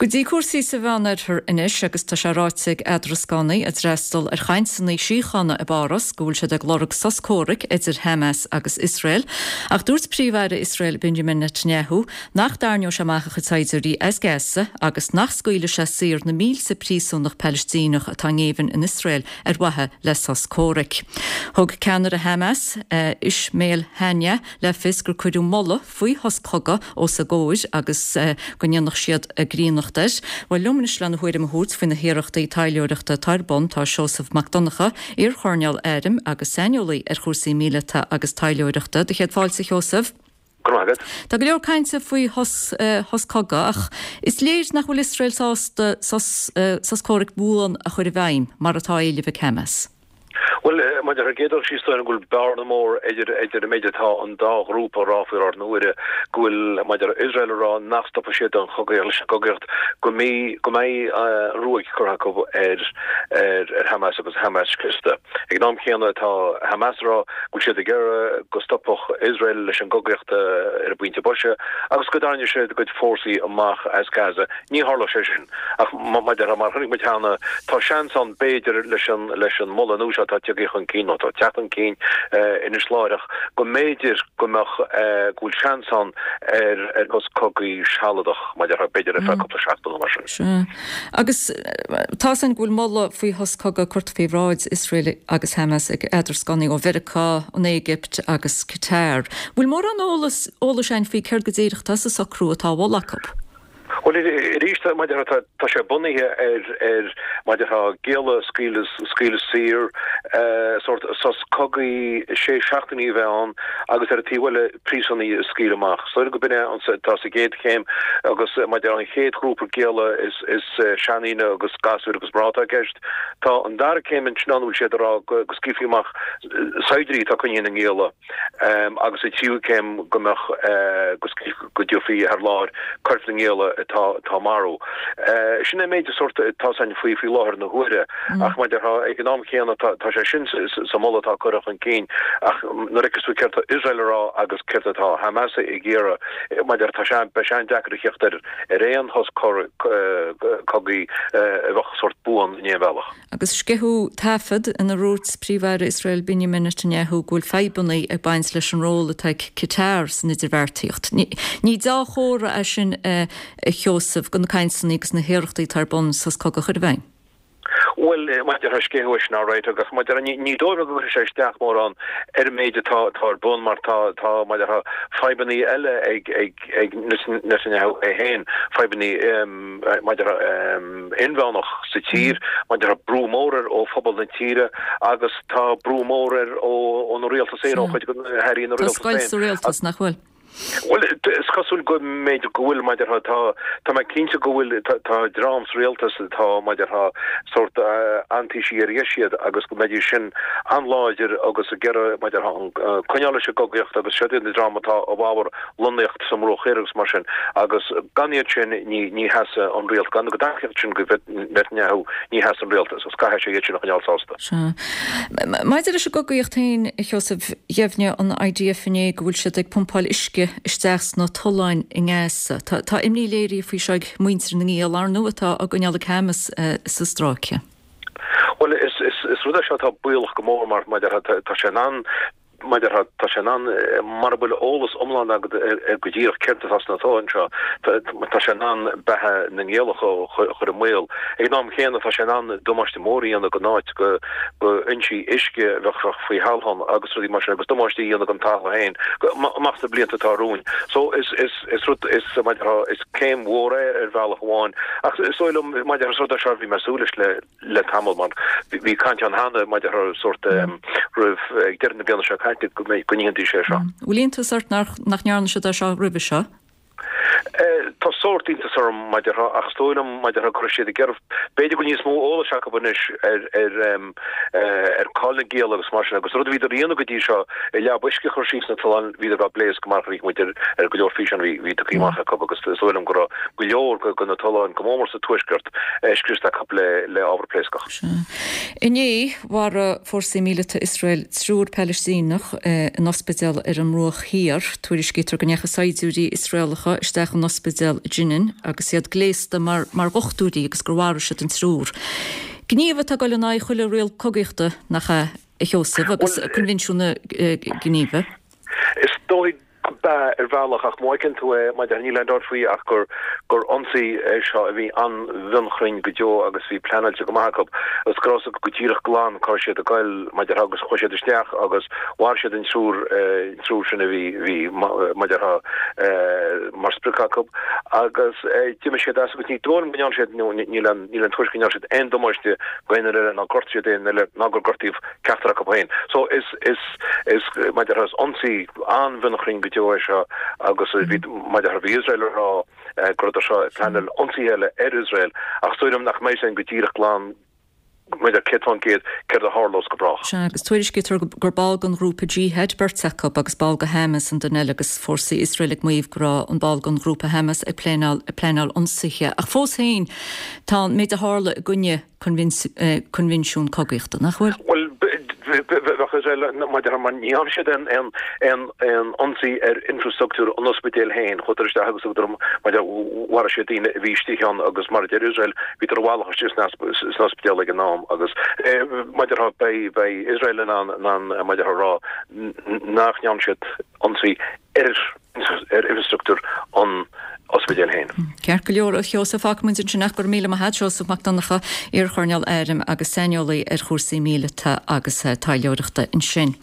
Go dtí cúrsaí sa Mheánoirthear anois agus tá sé ráite ag eadrascánaí a d'fhreastal ar chainteanna síochána i bPáras go bhfuil siad ag lorg sos comhraic idir Hamas agus Iosrael. Ach dúirt Príomh-Aire Iosrael Benjamin Netanyahu nach dtarraingeodh sé amach a chuid saighdiúirí as Gaza agus nach scaoilfeadh sé saor na mílte príosúnach Palaistíneach atá i ngéibheann in Iosrael ar mhaithe le sos comhraic. Thug ceannaire Hamas, Ismail Haniyeh, le fios gur cuireadh moladh faoi shos cogaidh os a gcomhair agus go ndéanfadh siad a gcríonnacht air. Bhuel, liom anois lena thuairim a thabhairt faoi na hiarrachtaí taidhleoireachta atá ar bun tá Seosamh Mac Donncha, iar-choirnéal airm agus saineolaí ar chúrsaí míleata agus taidhleoireachta. Do chéad fáilte, a Sheosaimh. Go raibh maith agat. Tá go leor cainte faoi shos cogaidh ach is léir nach bhfuil Iosrael sásta sos comhraic buan a chur i bhfeidhm mar atá á éileamh ag Hamas. Bhuel, maidir ar an gcéad dul síos, dóigh liom go bhfuil bearna mór idir idir an méid atá an dá ghrúpa a rá faoi láthair na huaire, go bhfuil, maidir Iosrael a rá nach stopfaidh siad an chogaíocht leis an gcogaíocht, go mbeidh go mbeidh an ruaig curtha acu ar ar ar Hamas agus Hamas scriosta. Ag an am chéanna tá Hamas a rá go bhfuil siad ag iarraidh go stopfadh Iosrael leis an gcogaíocht ar an bpointe boise agus go dtarraingeodh siad a gcuid fórsaí amach as Gaza. Ní tharlóidh sé sin. Ach maidir mar a chonaic muid cheana, tá seans ann b'fhéidir leis an leis an moladh nua seo atá tagtha chun cinn, nó atá ag teacht chun cinn anois láithreach, go mb'fhéidir go mbeadh, go bhfuil seans ann ar ar shos cogaidh sealadach, maidir b'fhéidir ar feadh cúpla seachtain nó mar sin. Sea. Agus tá's againn go bhfuil moladh faoi shos cogaidh curtha faoi bhráid Iosrael agus Hamas ag eadrascánaí ó Mheiriceá, an Éigipt agus Qatar. Bhfuil mórán eolas eolais againn faoi céard go díreach atá sa socrú atá á mholadh acu? Bhuel, arís, maidir tá, tá sé bunaithe ar, ar, maidir tá gialla a scaoileadh, scaoileadh saor, sórt sos cogaidh sé seachtainí a bheith ann agus ar an taobh eile príosúnaigh a scaoileadh amach. Is dóigh liom go b'in é an, atá sa gcéad chéim agus maidir an chéad ghrúpa gialla is, is seandaoine agus gasúir agus mná atá i gceist. Tá an dara céim ansin ann a bhfuil siad ag rá go, go scaoilfí amach saighdiúirí atá coinnithe ina ngialla. agus sa tríú céim go mbeadh go go dtabharfaí thar láir coirp na ngialla atá atá marbh. Sin é an méid sórt atá 's againn faoi faoi láthair na huaire ach mar a déarfá ag an am chéanna tá tá sé sin sa moladh atá curtha chun cinn ach nuair a fheiceas tú céard tá Iosrael a rá agus céard atá Hamas ag iarraidh mar a déarfá tá sé beidh sé an-deacair a theacht ar ar aon shos cogaidh a bheadh sórt buan in aon bhealach. Agus sceitheadh taifead ina ndúirt Príomh-Aire Iosrael Benjamin Netanyahu go bhfuil fadhbanna ag baint leis an ról atá ag Qatar san idirbheartaíocht. Ní deá-chomhartha é sin, a Sheosaimh, do na cainteanna agus na hiarrachtaí atá ar bun sos cogaidh a chur i bhfeidhm. Bhuel, mar a déarfá sceitheadh é sin alright agus mar a déarfá ní dóigh liom go gcuirfidh sé isteach mórán ar an méid atá atá ar bun mar tá tá mar a déarfá fadhbanna eile ag ag ag Netanyahu é féin, fadhbanna mar a déarfá inmheánach sa tír, mar a déarfá brú mór air ó phobal na tíre agus tá brú mór air óna rialtas féin, ó chuid de na hairí ina Tá rialtas scoilt féin. sa rialtas, nach bhfuil? Bhuel, is cosúil go mb'fhéidir go bhfuil, mar a déarfá, tá, tá mé cinnte go bhfuil, tá, tá dream sa rialtas atá, mar a déarfá, sórt antaoisigh ar dheis iad agus go mbeidís sin an-láidir agus ag iarraidh, mar a déarfá, an, coinneáil leis an gcogaíocht agus siad iad na dream atá i bhfabhar lonnaíocht sa mBruach Thoir agus mar sin, agus gan iad sin ní ní sheasfaidh an rialtas, gan a dtacaíocht sin go Netanyahu ní sheasfaidh an rialtas agus caithfidh sé iad sin a choinneáil sásta. Sea. Maidir leis an gcogaíocht féin, a Sheosaimh, dheimhnigh an IDF inné go bhfuil siad ag pumpáil uisce isteach sna tolláin i nGaza. Tá tá imní léirithe faoi seo ag muintir na ngiall, ar ndóigh, atá á gcoinneáil ag Hamas sa stráice. Bhuel, is is is rud é seo atá baolach go mór mar mar a déarfá tá sé in ann Mar a déarfá, tá sé in ann, mara bhfuil eolas iomlán agat ar go díreach céard atá sna tolláin seo, tá sé in ann beatha na ngiallach a chur i mbaol. Ag an am chéanna, tá sé in ann damáiste mór a dhéanamh don áit, go fhoinsí uisce a bheadh faoi thalamh agus rudaí mar sin, agus damáiste a dhéanamh don talamh féin amach sna blianta atá romhainn. So, is, is, is rud, is, mar a déarfá, is céim mhór é ar bhealach amháin, ach is dóigh liom, mar a déarfá, is rud é seo a bhí mé ag súil leis le. le tamall mar bhí caint ann cheana maidir le sórt roimh ag deireadh na bliana seo caite go mbeidh go ndéanfaidís é seo. Bhfuil iontas ort nach ndearna siad é seo roimhe seo? Tá sórt iontas orm mar a déarfá ach is dóigh liom mar a déarfá go raibh siad ag iarraidh b'fhéidir go bhfuil níos mó eolais acu anois ar ar ar cáil na ngiall agus mar sin agus rud a bhíodar a dhéanamh go dtí seo i leaba uisce a chur síos sna tolláin bhíodar á bpléascadh mar a chonaic muid ar ar go leor físeán a bhí bhí tugtha amach acu agus is dóigh liom go raibh go leor de na tolláin go mór mór sa tuaisceart scriosta acu le ábhar pléascach. Sea. Inné, mharaigh fórsaí míleata Iosrael triúr Palaistíneach in ospidéal ar an mBruach Thiar. Tuairiscítear go ndeachaigh saighdiúirí Iosraelacha isteach. isteach in ospidéal Jenin agus iad gléasta mar mar dhochtúirí agus gur mharaigh siad an triúr. Gníomh atá ag dul in aghaidh chuile riail cogaíochta, nach ea, a Sheosaimh, agus Coinbhinsiún na Ginéive? Is dóigh gurb ea ar bhealach, ach má fheiceann tú é, mar a déarfá, níl aon dabht faoi ach gur gur ionsaí é seo a bhí an-mhionchruinn go deo agus bhí pleanáilte go maith acu agus go raibh a fhios acu go díreach glan cá raibh siad ag goil, mar a déarfá, agus chuaigh siad isteach agus mharaigh siad an triúr, an triúr sin a bhí, bhí, mar a déarfá, mar sprioc acu agus d'imigh siad as agus ní dóigh liom go ndearna siad, nó níl aon, níl aon tuairisc go ndearna siad aon damáiste go aon duine eile ná gortaigh siad aon duine eile ná gur gortaíodh ceachtar acu féin. So is, is, is, mar a déarfá, is ionsaí an-mhionchruinn go deo é seo agus bhí, mar a déarfá, bhí Iosrael ag rá go rabhadar seo ag pleanáil ionsaithe eile ar Iosrael ach is dóigh liom nach mbeidh sin go díreach glan mar a déarfá 100% céard a tharlós go brách. Sea, agus tuairiscítear gur ball den ghrúpa Jihad beirt acu agus ball de Hamas an duine eile agus fórsaí Iosrael ag maíomh go raibh an ball den ghrúpa Hamas ag pleanáil ag pleanáil ionsaithe. Ach fós féin, tá an méid a tharla i gcoinne coinbhinsiún cogaíochta, nach bhfuil? Bhuel, bheadh Iosrael, mar a déarfá, mar ní dhearna siad aon ionsaí ar infreastruchtúr an ospidéil féin, chuadar isteach agus thugadar, mar a déarfá, mharaigh siad daoine a bhí istigh ann agus mar a deir Iosrael, bhíodar i bhfalach istigh san ospidéal ag an am agus, mar a déarfá, beidh Iosrael in ann, mar a déarfá, a rá nach ndearna siad ionsaí ar ar infreastruchtúr an ospidéil féin. Ceart go leor, a Sheosaimh, fágfaidh muid ansin ach go raibh míle maith agat, Seosamh Mac Donncha, iar-choirnéal airm agus saineolaí ar chúrsaí míleata agus taidhleoireachta ansin.